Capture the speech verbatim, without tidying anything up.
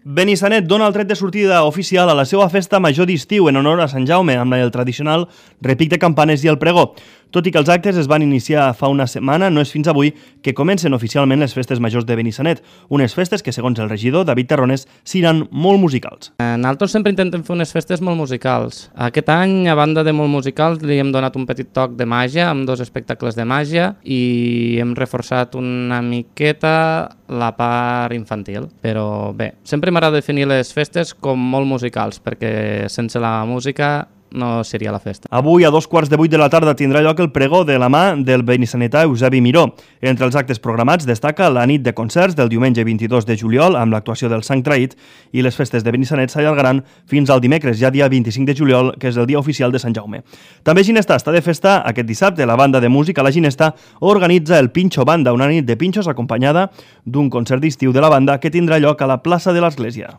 Benissanet dona el tret de sortida oficial a la seva festa major d'estiu en honor a Sant Jaume amb el tradicional repic de campanes i el pregó. Tot i que els actes es van iniciar fa una setmana, no és fins avui que comencen oficialment les festes majors de Benissanet, unes festes que, segons el regidor David Terrones, seran molt musicals. Nosaltres sempre intentem fer unes festes molt musicals. Aquest any, a banda de molt musicals, li hem donat un petit toc de màgia, amb dos espectacles de màgia, i hem reforçat una miqueta la part infantil. Però bé, sempre m'agrada definir les festes com molt musicals, perquè sense la música no seria la festa. Avui, a dos quarts de vuit de la tarda, tindrà lloc el pregó de la mà del benissanetà Eusebi Miró. Entre els actes programats destaca la nit de concerts del diumenge vint-i-dos de juliol amb l'actuació del Sant Traït, i les festes de Benissanet s'allargaran fins al dimecres, ja dia vint-i-cinc de juliol, que és el dia oficial de Sant Jaume. També Ginestà està de festa aquest dissabte. La banda de música La Ginestà organitza el Pinxo Banda, una nit de pinxos acompanyada d'un concert d'estiu de la banda que tindrà lloc a la plaça de l'Església.